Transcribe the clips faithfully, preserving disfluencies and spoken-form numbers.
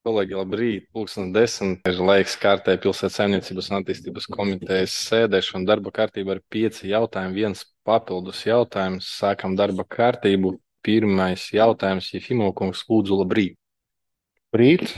Kolēģi, labrīt! Pulkstens desmit ir laiks kārtai pilsētas saimniecības un attīstības komitejas sēdēšana. Darba kārtība ir pieci jautājumi, viens papildus jautājums. Sākam darba kārtību. Pirmais jautājums, Jefimov kungs, lūdzu, labrīt! Rīt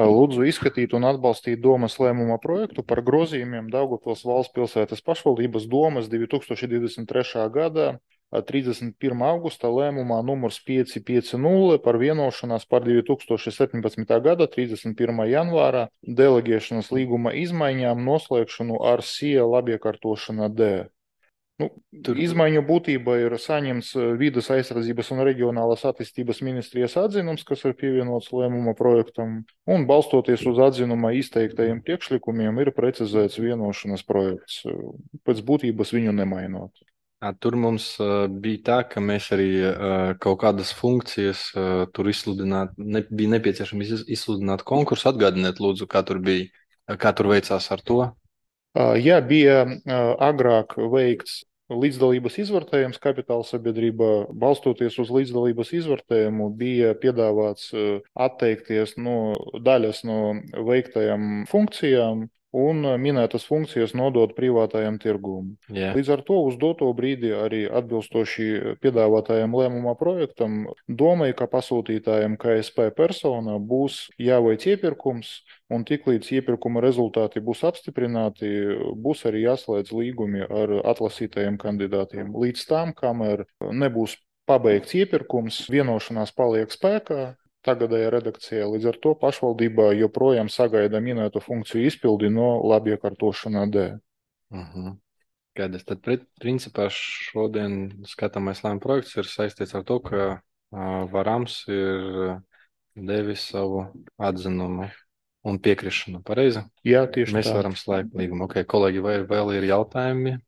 lūdzu izskatīt un atbalstīt domas lēmuma projektu par grozījumiem Daugavpils valsts pilsētas pašvaldības domas divi tūkstoši divdesmit trešā gada trīsdesmit pirmā augusta lēmumā numurs pieci pieci nulle par vienošanās par divi tūkstoši septiņpadsmitā gada trīsdesmit pirmā janvāra deleģēšanas līguma izmaiņām noslēgšanu ar S I E labiekārtošana D. Nu, Tur izmaiņu būtība ir saņemts Vides aizsardzības un reģionālās attīstības ministrijas atzinums, kas ir pievienots lēmuma projektam, un balstoties uz atzinumā izteiktajiem priekšlikumiem ir precizēts vienošanas projekts, pēc būtības viņu nemainot. ā, tur mums ā, bija tā, ka mēs arī ā, kaut kādas funkcijas ā, tur izsludināt, ne, bija nepieciešams iz- izsludināt konkursu. Atgādiniet, lūdzu, kā tur bija, kā tur veicās ar to. Ja bija agrāk veikts līdzdalības izvērtējums kapitāla sabiedrībā, balstoties uz līdzdalības izvērtējumu, bija piedāvāts atteikties no daļas no veiktajām funkcijām un minētas funkcijas nodot privātajam tirgum. Jā. Līdz ar to uz doto brīdi arī atbilstoši piedāvātajam lēmuma projektam domāju, ka pasūtītājiem K S P persona būs jāveic iepirkums, un tiklīdz iepirkuma rezultāti būs apstiprināti, būs arī jāslēdz līgumi ar atlasītajiem kandidātiem. Līdz tam, kamēr nebūs pabeigts iepirkums, vienošanās paliek spēkā tagadējā redakcijā. Līdz ar to pašvaldībā joprojām sagaida minēto funkciju izpildi no labiekārtošanā D. Mhm. Skaidrs. Tad, pri- principā, šodien skatāmais lēmuma projekts ir saistīts ar to, ka ā, Varams ir devis savu atzinumu un piekrišanu. Pareizi? Jā, tieši Mēs tā. varam slēgt līgumu. Ok, kolēģi, vai vēl ir jautājumi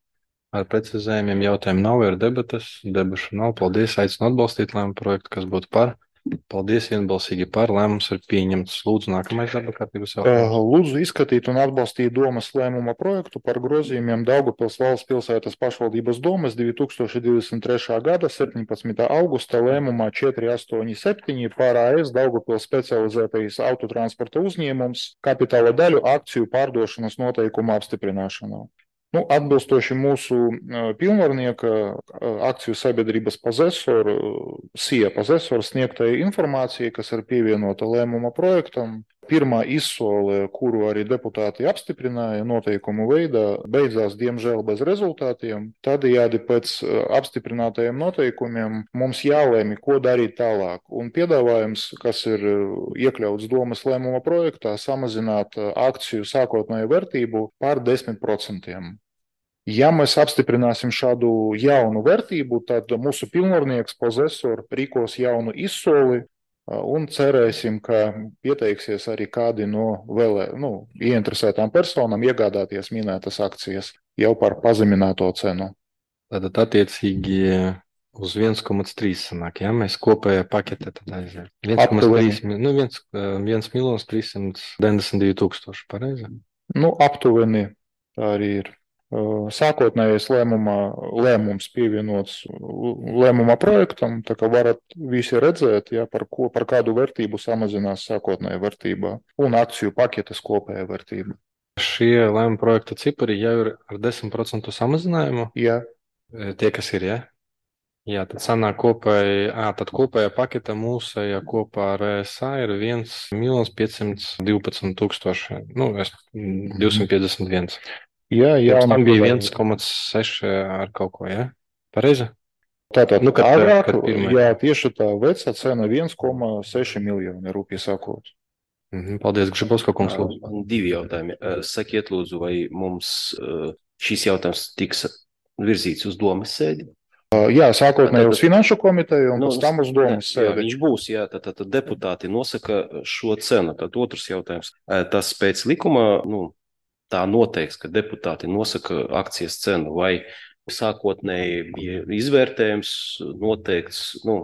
ar precizējumiem? Jautājumu nav, ir debatas. Debašu nav. Paldies. Aicinu atbalstīt lēmumu projektu, kas būtu par. Paldies, vienbalsīgi par. Lēmums ir pieņemts. Lūdzu, nākamais darba kārtības jautājums. Lūdzu izskatīt un atbalstīt domas lēmuma projektu par grozījumiem Daugavpils valsts pilsētas pašvaldības domas divi tūkstoši divdesmit trešā gada septiņpadsmitā augusta lēmumā četri astoņi septiņi par A S Daugavpils specializētais autotransporta uzņēmums kapitāla daļu akciju pārdošanas noteikumu apstiprināšanu. Nu, atbilstoši mūsu pilnvarnieka akciju sabiedrības pozesoru, S I E pozesoru sniegtajai informācijai, kas ir pievienota lēmuma projektam, pirmā izsole, kuru arī deputāti apstiprināja noteikumu veidā, beidzās diemžēl bez rezultātiem. Tādējādi pēc apstiprinātajiem noteikumiem mums jālēmi, ko darīt tālāk. Un piedāvājums, kas ir iekļauts domas lēmuma projektā, samazināt akciju sākotnējo vērtību par desmit procentiem. Ja mēs apstiprināsim šādu jaunu vērtību, tad mūsu pilnvarnieks pozesor rīkos jaunu izsoli un cerēsim, ka pieteiksies arī kādi no vēl nu, ieinteresētām personām iegādāties minētas akcijas jau par pazemināto cenu. Tātad attiecīgi uz viens komats trīs sanāk, ja mēs kopējā pakete tad aiziet. viens komats trīs, nu viens miljons trīssimt deviņdesmit divi tūkstoši, pareizi? Nu, aptuveni tā arī ir. Sākotnējais lēmumā, lēmums pievienots lēmuma projektam, tā kā varat visi redzēt, ja, par, ko, par kādu vērtību samazinās sākotnējā vērtībā un akciju paketes kopējā vērtība. Šie lēmuma projekta cipari jau ir ar desmit procentu samazinājumu? Jā. Tie, kas ir, ja? Jā, tad sanāk kopēji, ā, tad kopējā paketa mūsējā kopā ar E S A ir viens miljons piecsimt divpadsmit tūkstoši, nu, divsimt piecdesmit viens. Jā, jā. Tam bija viens komats seši ar kaut ko, ja? Pareizi? Tātad, nu, kad, agrāk, kad pirmai. jā, tieši tā vecā cena viens komats seši miljoni, rūpīgi sakot. Mhm, paldies, Gržibovska kungs. Man divi jautājumi. Sakiet, lūdzu, vai mums šīs jautājums tiks virzīts uz domas sēdi? Jā, sākotnēji uz finanšu komiteju un Nu, pēc tam uz domas jā, sēdi. viņš būs, jā, tad, tad, tad deputāti nosaka šo cenu. Tad otrs jautājums. Tas pēc likuma, nu, tā noteikts, ka deputāti nosaka akcijas cenu, vai sākotnēji bija izvērtējums noteikts, nu,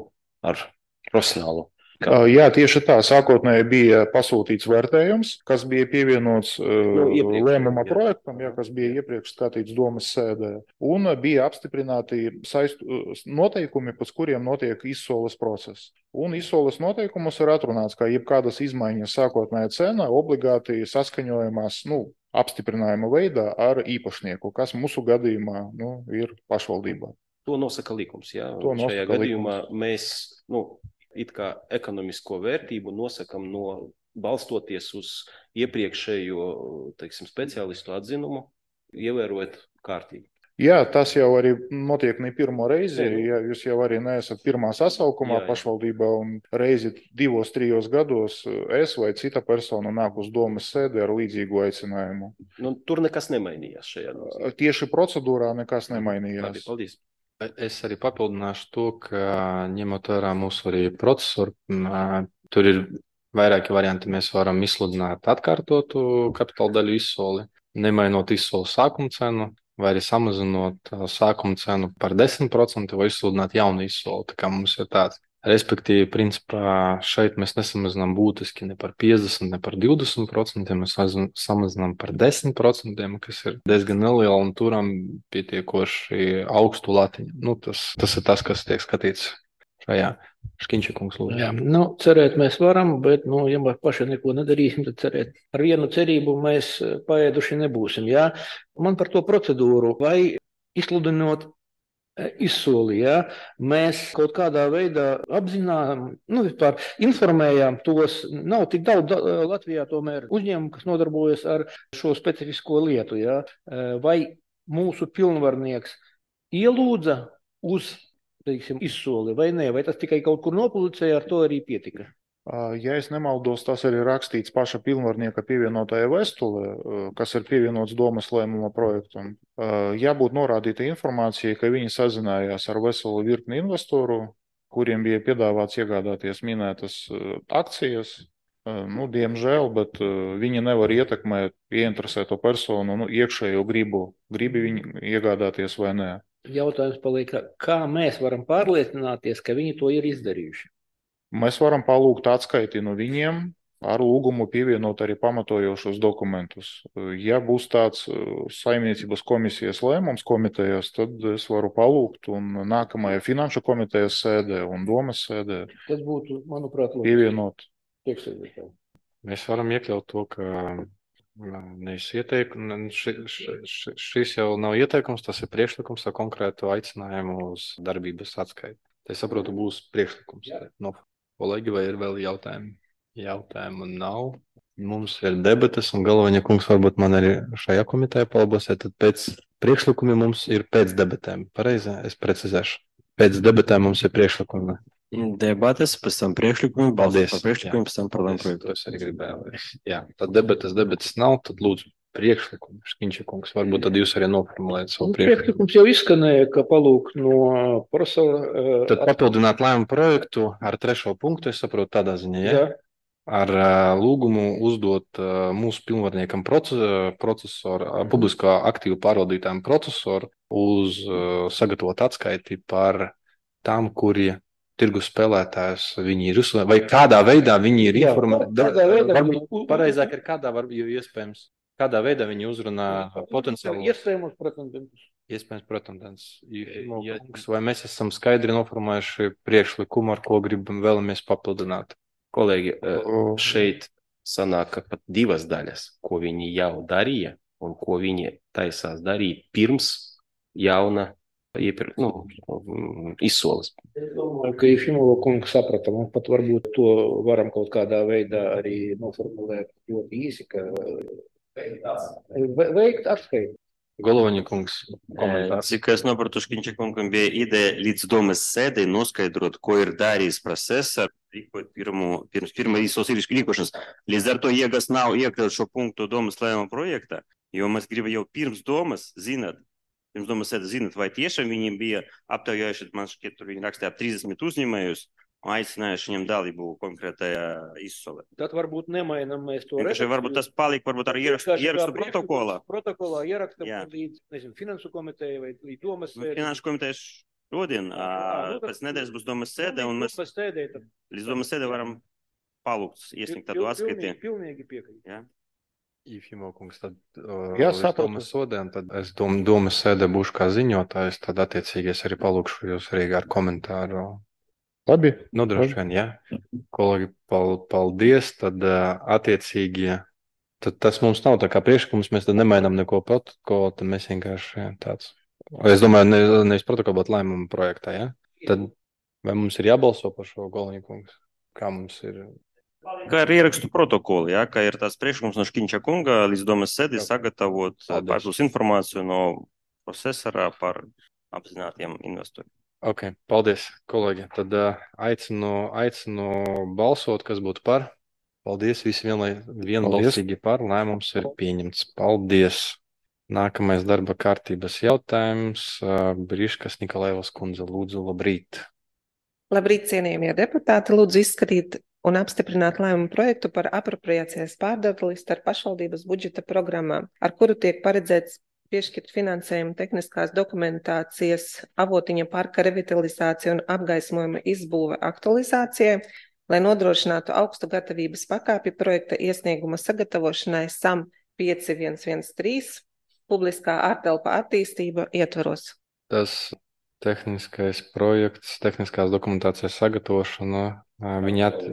ar profesionālu Uh, Jā, tieši tā. Sākotnēji bija pasūtīts vērtējums, kas bija pievienots uh, iepriekš, lēmuma jā. projektam, jā, kas bija iepriekš skatīts domas sēdē. Un uh, bija apstiprināti saistu, uh, noteikumi, pēc kuriem notiek izsoles process. Un izsoles noteikumus ir atrunāts, ka jebkādas izmaiņas sākotnējā cena obligāti saskaņojamās, nu, apstiprinājuma veidā ar īpašnieku, kas mūsu gadījumā nu, ir pašvaldībā. To nosaka likums. Jā. To nosaka Šajā gadījumā likums. mēs nu, it kā ekonomisko vērtību nosakam no balstoties uz iepriekšējo, teiksim, speciālistu atzinumu, ievērojot kārtīgi. Jā, tas jau arī notiek ne pirmo reizi. Ne, nu. Ja jūs jau arī neesat pirmā sasaukumā Jā, jā. pašvaldībā un reizi divos, trijos gados es vai cita persona nāk uz domas sēdi ar līdzīgu aicinājumu. Nu, tur nekas nemainījās šajā nozīmē. Tieši procedūrā nekas Labi, nemainījās. paldies. Es arī papildināšu to, ka ņemot vērā mūsu arī procesoru, m, tur ir vairāki varianti. Mēs varam izsludināt atkārtotu kapitāla daļu izsoli, nemainot izsoli sākuma cenu, vai arī samazinot ā, sākuma cenu par desmit procentiem vai izsludināt jaunu izsoli. Tā kā mums ir tāds. Respektīvi, principā šeit mēs nesamazinām būtiski ne par piecdesmit, ne par divdesmit procentiem, mēs samazinām- samazinām par desmit procentiem, kas ir diezgan neliela un turam pietiekoši augstu latiņu. Nu, tas, tas ir tas, kas tiek skatīts šajā. Škiņša kungs, lūdzu. Jā, nu, cerēt mēs varam, bet, nu, ja mēs paši neko nedarīsim, tad cerēt. Ar vienu cerību mēs eh, paēduši nebūsim, jā. Man par to procedūru, vai izsludinot eh, izsoli, jā, mēs kaut kādā veidā apzinām, nu, vispār informējām tos, nav tik daudz da- Latvijā tomēr uzņēmumu, kas nodarbojas ar šo specifisko lietu, jā. Eh, Vai mūsu pilnvarnieks ielūdza uz, teiksim, izsoli vai nē, vai tas tikai kaut kur nopublicēja, ar to arī pietika? Ja es nemaldos, tas arī rakstīts paša pilnvarnieka pievienotajā vēstulē, kas ir pievienots domas lēmuma projektam. Jābūt norādīta informācija, ka viņi sazinājās ar veselu virkni investoru, kuriem bija piedāvāts iegādāties minētas akcijas. Nu, diemžēl, bet viņi nevar ietekmēt ieinteresēto personu nu, iekšējo gribu, gribi viņi iegādāties vai nē. Jautājums paliek, kā mēs varam pārliecināties, ka viņi to ir izdarījuši? Mēs varam palūgt atskaiti no viņiem ar lūgumu pievienot arī pamatojošos dokumentus. Ja būs tāds uh, saimniecības komisijas lēmums komitejās, tad es varu palūgt un nākamajā finanšu komitejas sēdē un domas sēdē Tas būtu, manuprāt, loģiski. pievienot. Priekšsēdētāji. Mēs varam iekļaut to, ka nevis ieteikums, ši, ši, ši, šis jau nav ieteikums, tas ir priekšlikums ar konkrētu aicinājumu uz darbības atskaiti. Es saprotu, būs priekšlikums. No kolēģi, vai ir vēl jautājumi? Jautājumu nav. Mums ir debates, un galvenā kungs varbūt man arī šajā komitejā palabosiet, tad pēc priekšlikumiem mums ir pēc debatēm. Pareizi, es precizēšu. Pēc debatēm mums ir priekšlikumi. Debates, pēc tam priekšlikumi, balsot par priekšlikumiem, pēc tam par lēmumu Es projektu. to es arī gribēju. Jā, tad debates, debates nav, tad lūdzu priekšlikumu. Škiņša kungs, varbūt tad jūs arī noformulējat savu Nu, priekšlikumu. priekšlikums jau izskanēja, ka palūk no profesora. Tad papildināt lēmumu projektu ar trešo punktu, es saprotu tādā ziņā, ja? Jā, Ar ā, lūgumu uzdot ā, mūsu pilnvarniekam proce- procesoru, ā, publiskā aktīvu pārvaldītājiem procesoru uz ā, sagatavot atskaiti par tām, kuri tirgus spēlētājus viņi ir uzsvēruši, vai kādā veidā viņi ir Jā, informēti. kādā veidā Varbūt viņi- pareizāk ir kādā, var, jo iespējams, kādā veidā viņi uzrunā potenciāli. iespējamos pretendentus. Iespējams, protams, ja, vai mēs esam skaidri noformējuši priekšlikumu, ar ko gribam vēlamies papildināt. Kolēģi, eh, šeit sanāk, ka pat divas daļas, ko viņi jau darīja un ko viņi taisās darīt pirms jauna iepirk, nu, mm, izsoles. Es domāju, ka Jefimova kungs saprata, un pat varbūt to varam kaut kādā veidā arī noformulēt ļoti īsi, ka ve- veikt atskaiti. Galvenā kungs, Eh, komentārs. Cik es sapratu, Škiņša kungam bija ideja līdz domas sēdei noskaidrot, ko ir darījis procesā, rīkot pirmo, pirms pirmā izsoles rīkošanas. Līdz ar to jēgas nav iekļaut šo punktu domas lēmuma projektā, jo mēs gribam jau pirms domas zināt, pirms domas sēdes zināt, vai tiešām viņiem bija aptaujājuši, man šķiet, tur viņi rakstīja ap trīsdesmit uzņēmējus, un aicinājuši viņam dalību konkrētajā izsolē. Tad varbūt nemainam mēs to Vienkārši varbūt tas palika, varbūt ar ierakstu, Vienkārši kā ierakstu priekšlikums protokolā. Protokolā ierakstam Jā. līdz, nezinu, finansu komiteja vai līdz domas Nu, sēdei. Finanšu komitejas šodien, Ā, nu, pēc nedēļas būs domas sēde, un mēs pēc sēdē tad līdz domas sēdē varam palūgt iesniegt tādu pil- atskaiti. pilnīgi, pilnīgi piekrītu. Ja? Ifimo kungs, tad uh, Jā, līdz sapratu. domas sodēm, tad es dom, domas sēdē būšu kā ziņotājs, tad attiecīgi es arī palūkšu jūs arī ar komentāru. Labi. Nu, droši vien, jā. Kolēģi, pal, paldies, tad uh, attiecīgi, tad tas mums nav tā kā priekšlikums, mēs tad nemainām neko protokolu, tad mēs vienkārši tāds. Es domāju, ne, nevis protokolu, bet lēmumu projektā, jā. Tad vai mums ir jābalso par šo Golniņa kungs? Kā mums ir? Kā ir ierakstu protokoli, ja? Kā ir tās priekšlikums no Škiņča kunga līdz domas sēdē sagatavot Paldies. papildus informāciju no procesora par apzinātiem investoriem. Ok, paldies, kolēģi. Tad uh, aicinu, aicinu balsot, kas būtu par. Paldies, visi vienlai, vienbalsīgi par. Lēmums ir pieņemts. Paldies. Nākamais darba kārtības jautājums. Uh, Briškas Nikolaevas kundze, lūdzu, labrīt. Labrīt, cienījamie deputāti. Lūdzu izskatīt un apstiprināt lēmumu projektu par apropriācijas pārdali starp pašvaldības budžeta programmām, ar kuru tiek paredzēts piešķirt finansējumu tehniskās dokumentācijas Avotiņa parka revitalizācija un apgaismojuma izbūve aktualizācijai, lai nodrošinātu augstu gatavības pakāpi projekta iesnieguma sagatavošanai S A M pieci viens viens trīs publiskā ārtelpa attīstība ietvaros. Tas tehniskais projekts, tehniskās dokumentācijas sagatavošana, uh, viņa at-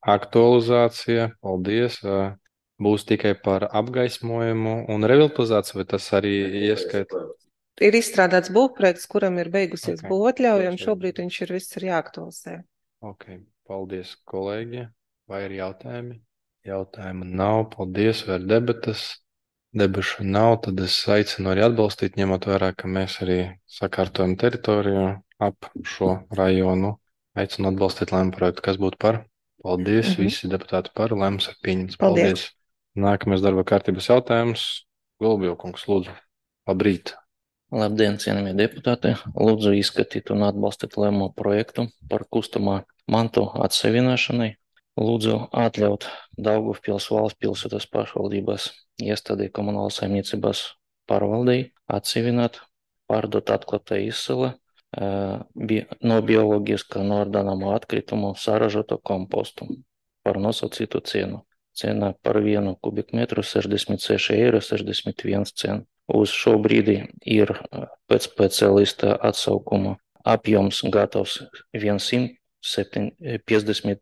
aktualizācija, paldies, uh, būs tikai par apgaismojumu un revitalizāciju, vai tas arī ieskaita? Ir izstrādāts būvprojekts, kuram ir beigusies Ok. būvatļauja, un šobrīd viņš ir viss ir jāaktualizē. Ok, paldies, kolēģi. Vai ir jautājumi? Jautājumu nav, paldies, vai ir debatas? Debašu nav, tad es aicinu arī atbalstīt, ņemot vērā, ka mēs arī sakārtojam teritoriju ap šo rajonu. Aicinu atbalstīt lēmumu projektu, kas būtu par. Paldies, Mhm. visi deputāti par, lēmums ir pieņemts. Paldies. Paldies. Nākamais darba kārtības jautājums. Golubjovkungs, lūdzu. Labrīt. Labdien, cienījamie deputāti! Lūdzu izskatīt un atbalstīt lēmumu projektu par kustamā mantu atsevināšanai. Lūdzu atļaut Daugavpils valsts pilsētas pašvaldības iestādē komunālas saimniecības pārvaldei atsevināt, pārdot atklātā izsala eh, bi no bioloģiskā noardāmā atkritumu saražoto kompostu par nosacītu cenu. Cena par vienu kubikmetru sešdesmit seši eiro sešdesmit viens cents. Uz šo brīdi ir pēc speciālista atsaukuma apjoms gatavs simt piecdesmit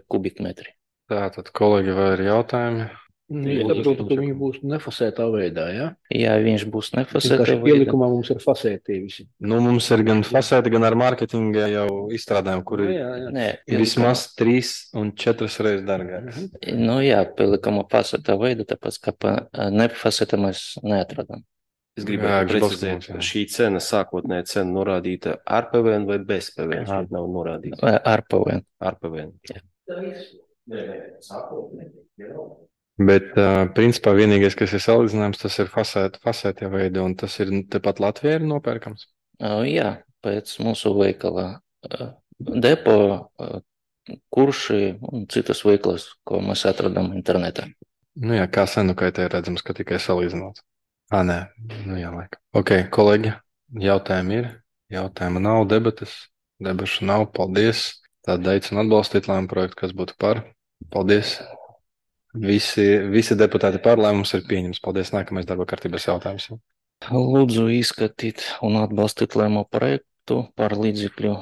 kubikmetri. Tātad, kolēģi, vai ir jautājumi? Nu, es saprotu, ka viņi būs nefasētā veidā, ja? Jā, viņš būs nefasētā Vienkārši veidā. ielikumā mums ir fasētie visi. Nu, mums ir gan fasēti, gan ar mārketinga jau izstrādājumi, Nu, kuri jā, jā. Nē, vismaz trīs un četras reizes dārgākas. Nu jā, pielikama fasētā veidā, tāpēc, ka pa nefasētā mēs neatradām. Es Jā, gribētu gribas precizēt, mums, jā. šī cena, sākotnēja cena norādīta ar P V N vai bez P V N? Šeit nav norādīta Ar P V N. ar P V N. Bet, uh, principā, vienīgais, kas ir salīdzināms, tas ir fasēt, fasētie veidi, un tas ir tepat Latvijā ir nopērkams. Uh, Jā, pēc mūsu veikala uh, depo, uh, kurši un citas veiklas, ko mēs atradām internetā. Nu jā, kā senu kaitē redzams, ka tikai salīdzināts. Ā, nē, nu jā, laika. Ok, kolēģi, jautājumi ir, jautājumi nav, debatas, debašu nav, paldies. Tad aicinu atbalstīt lēmumu projektu, kas būtu par. Paldies. Visi, visi deputāti par, lēmums ir pieņems. Paldies, nākamais darba kārtības jautājums. Lūdzu izskatīt un atbalstīt lēmumu projektu par līdzekļu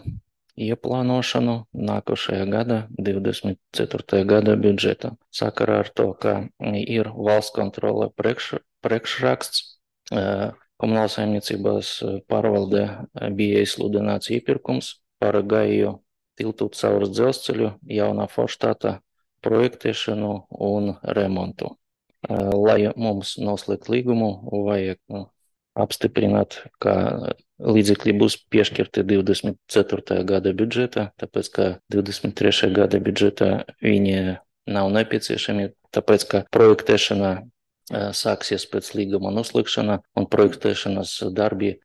ieplānošanu nākošajā gada, divdesmit ceturtajā gada budžetā. Sakarā ar to, ka ir valsts kontrole priekš, priekšraksts, eh, komunālās saimniecības pārvaldē bija izsludināts iepirkums par Gaiju tiltu caur dzelzceļu jaunā forštāta projektēšanu un remontu. Eh, Lai mums noslēgt līgumu, vajag nu, apstiprināt, ka līdzekļi būs piešķirti divdesmit ceturtajā gada budžetā, tāpēc, ka divdesmit trešajā gada budžetā viņi nav nepieciešami, tāpēc, ka projektēšana eh, sāksies pēc līguma noslēgšana un projektēšanas darbi eh,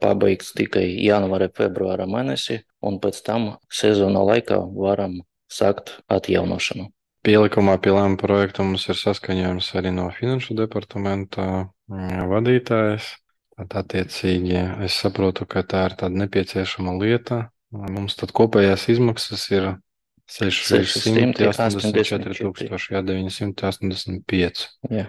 pabeigts tikai janvāra, februāra mēnesī, un pēc tam sezona laikā varam sākt atjaunošanu. Pielikumā pie lēmuma projekta mums ir saskaņojums arī no Finanšu departamenta mm, vadītājs. Tad attiecīgi es saprotu, ka tā ir tāda nepieciešama lieta. Mums tad kopējās izmaksas ir sešsimt astoņdesmit četri tūkstoši deviņsimt astoņdesmit pieci. Jā.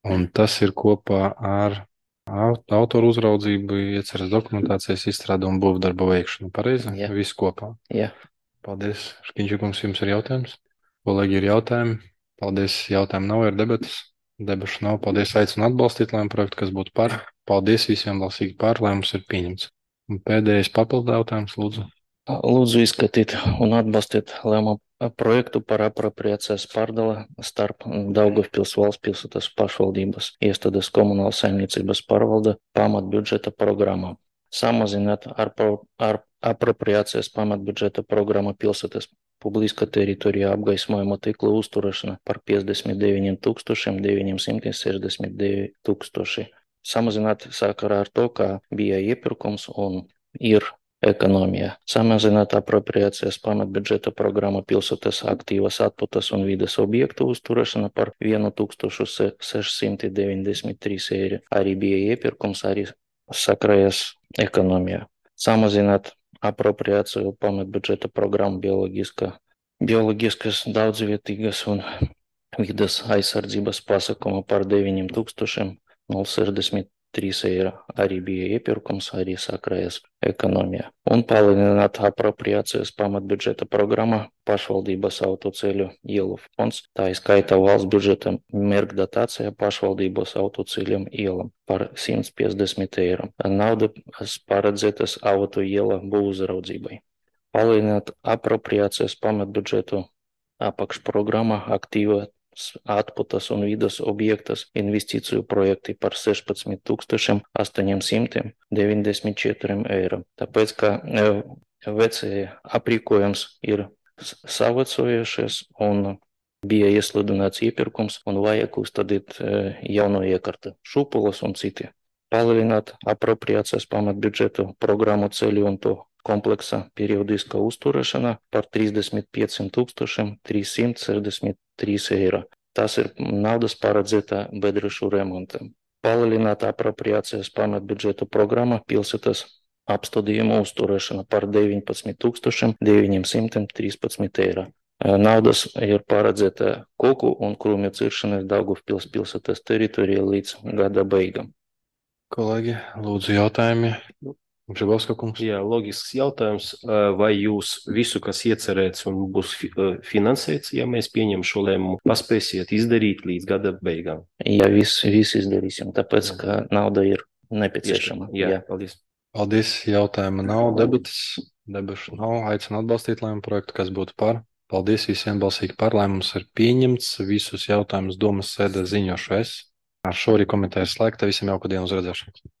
Un tas ir kopā ar autoru uzraudzību, ieceres dokumentācijas izstrādu un būvdarbu veikšanu. Pareizi? Jā. Viss kopā. Jā. Paldies. Škiņķikums, jums ir jautājums? Kolēģi, ir jautājumi? Paldies. Jautājumu nav, ir debatas. Debašu nav. Paldies. Aicinu atbalstīt lēmumu projektu, kas būtu par. Paldies visiem balsīgi par. Lēmums ir pieņemts. Un pēdējais papildu jautājums, lūdzu. Lūdzu izskatīt un atbalstīt lēmumu projektu par apropriācijas pārdali starp Daugavpils valsts pilsētas pašvaldības iestādes komunālas saimniecības pārvalde pamatbudžeta programmā. Samazināt ar, ar apropriācijas pamatbudžeta programma pilsētas publiska teritorija apgaismojuma tīkla uzturēšana par piecdesmit deviņiem tūkstošiem deviņsimt sešdesmit divi tūkstoši. Samazināt sakarā ar to, ka bija iepirkums un ir ekonomija. Samazināt apropriācijas pamatbudžeta programma pilsētas aktīvas atpūtas un vides objektu uzturēšana par vienu tūkstošu sešsimt deviņdesmit trīs eiro. Arī bija iepirkums, arī sakrājas ekonomija. Samazināt apropriāciju pamatbudžeta programma bioloģiska, bioloģiskas daudzvietīgas un vides aizsardzības pasākuma par deviņiem tūkstošiem sešdesmit trīs eiro. Arī bija iepirkums, arī sakrājas ekonomija. Un palielināt apropriācijas pamatbudžeta programma pašvaldības autoceļu ielu fonds, tā izskaitā valsts budžeta mērķdotācija pašvaldības autoceļiem ielam par simt piecdesmit eiro. Nauda paredzētas auto iela būvuzraudzībai. Palielināt apropriācijas pamatbudžetu apakšprogramma aktīva atpūtas un vides objektas investīciju projekti par sešpadsmit tūkstošiem astoņsimt deviņdesmit četri eiro. Tāpēc, ka vecie aprīkojums ir savecojušies un bija iesludināts iepirkums un vajag uzstādīt jauno iekārtu, šūpulas un citi. Palielināt apropriācijas pamatbudžetu programmu ceļu un to kompleksa periodiska uzturēšana par trīsdesmit pieciem tūkstošiem trīssimt sešdesmit trīs eiro. Tas ir naudas paredzēta bedrešu remontam. Palielināt apropriācijas pamatbudžeta programma pilsētas apstādījumu uzturēšana par deviņpadsmit tūkstošiem deviņsimt trīspadsmit eiro. Naudas ir paredzēta koku un krūmju ciršanai Daugavpils pilsētas teritorijā līdz gada beigām. Kolēģi, lūdzu jautājumi. Žabovska kungs. Jā, loģisks jautājums. Vai jūs visu, kas iecerēts un būs finansēts, ja mēs pieņem šo lēmumu, paspēsiet izdarīt līdz gada beigām? Jā, viss vis izdarīsim, tāpēc, ka nauda ir nepieciešama. Jā, jā, paldies. Paldies, jautājuma nav, debatas, debašu nav, aicinu atbalstīt lēmumu projektu, kas būtu par. Paldies visiem balsīgi par, lēmums ir pieņemts, visus jautājumus domas sēdē ziņošu es. Ar šo arī komiteju slēgta, visiem jauku dienu uz redzēšanu.